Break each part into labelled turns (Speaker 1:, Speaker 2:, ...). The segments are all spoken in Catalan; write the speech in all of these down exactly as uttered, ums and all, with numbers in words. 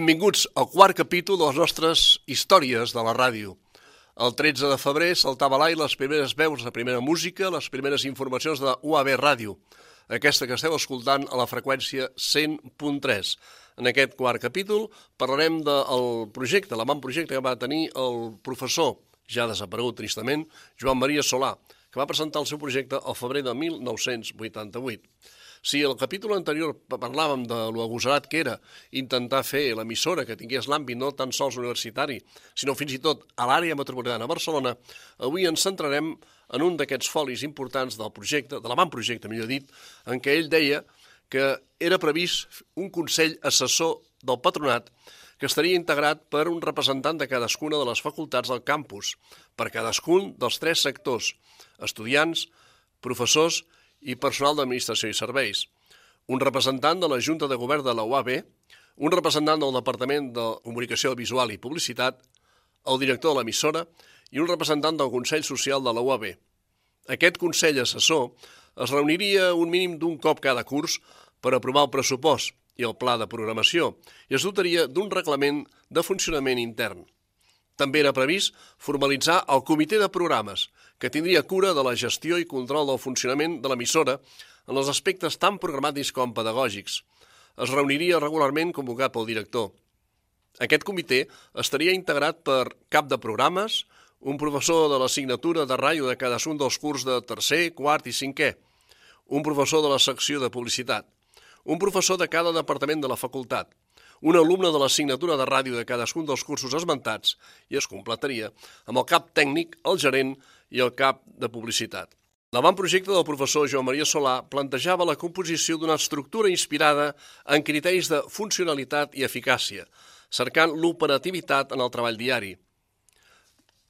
Speaker 1: Benvinguts al quart capítol de les nostres històries de la ràdio. El tretze de febrer saltava a l'aire les primeres veus, la primera música, les primeres informacions de U A B Ràdio, aquesta que esteu escoltant a la freqüència cent punt tres. En aquest quart capítol parlarem del projecte, l'avantprojecte que va tenir el professor, ja desaparegut tristament, Joan Maria Solà, que va presentar el seu projecte al febrer de mil nou-cents vuitanta-vuit. Si al capítol anterior parlàvem de lo agosarat que era intentar fer l'emissora que tingués l'àmbit no tan sols universitari, sinó fins i tot a l'àrea metropolitana de Barcelona, avui ens centrarem en un d'aquests folis importants del projecte, de l'avantprojecte, millor dit, en què ell deia que era previst un consell assessor del patronat que estaria integrat per un representant de cadascuna de les facultats del campus, per cadascun dels tres sectors, estudiants, professors i personal d'administració i serveis, un representant de la Junta de Govern de la U A B, un representant del Departament de Comunicació Visual i Publicitat, el director de l'emissora i un representant del Consell Social de la U A B. Aquest Consell Assessor es reuniria un mínim d'un cop cada curs per aprovar el pressupost i el pla de programació i es dotaria d'un reglament de funcionament intern. També era previst formalitzar el comitè de programes, que tindria cura de la gestió i control del funcionament de l'emissora en els aspectes tant programàtics com pedagògics. Es reuniria regularment convocat pel director. Aquest comitè estaria integrat per cap de programes, un professor de l'assignatura de ràdio de cadascun dels curs de tercer, quart i cinquè, un professor de la secció de publicitat, un professor de cada departament de la facultat, un alumne de l'assignatura de ràdio de cadascun dels cursos esmentats i es completaria amb el cap tècnic, el gerent i el cap de publicitat. L'avantprojecte del professor Joan Maria Solà plantejava la composició d'una estructura inspirada en criteris de funcionalitat i eficàcia, cercant l'operativitat en el treball diari.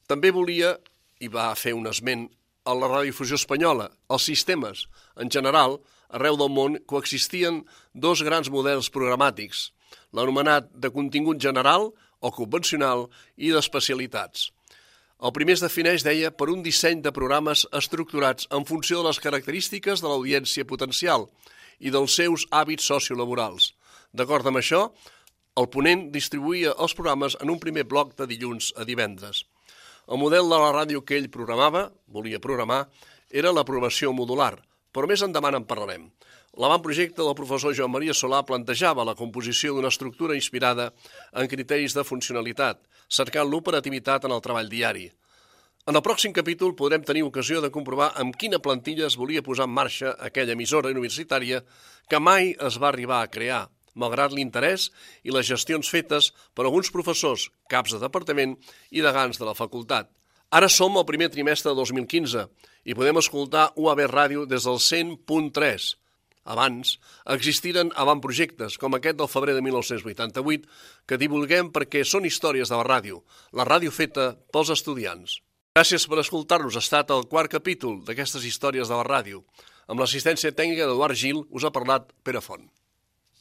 Speaker 1: També volia, i va fer un esment a la radiodifusió espanyola, els sistemes. En general, arreu del món coexistien dos grans models programàtics, l'anomenat de contingut general o convencional i d'especialitats. El primer es defineix, deia, per un disseny de programes estructurats en funció de les característiques de l'audiència potencial i dels seus hàbits sociolaborals. D'acord amb això, el ponent distribuïa els programes en un primer bloc de dilluns a divendres. El model de la ràdio que ell programava, volia programar, era la programació modular, però més endavant en parlarem. L'avantprojecte del professor Joan Maria Solà plantejava la composició d'una estructura inspirada en criteris de funcionalitat, cercant l'operativitat en el treball diari. En el pròxim capítol podrem tenir ocasió de comprovar amb quina plantilla es volia posar en marxa aquella emissora universitària que mai es va arribar a crear, malgrat l'interès i les gestions fetes per alguns professors, caps de departament i degans de la facultat. Ara som al primer trimestre de dos mil quinze i podem escoltar U A B Ràdio des del cent punt tres. Abans, existiren avantprojectes, com aquest del febrer de mil nou-cents vuitanta-vuit, que divulguem perquè són històries de la ràdio, la ràdio feta pels estudiants. Gràcies per escoltar-nos. Ha estat el quart capítol d'aquestes històries de la ràdio. Amb l'assistència tècnica d'Eduard Gil us ha parlat Pere Font.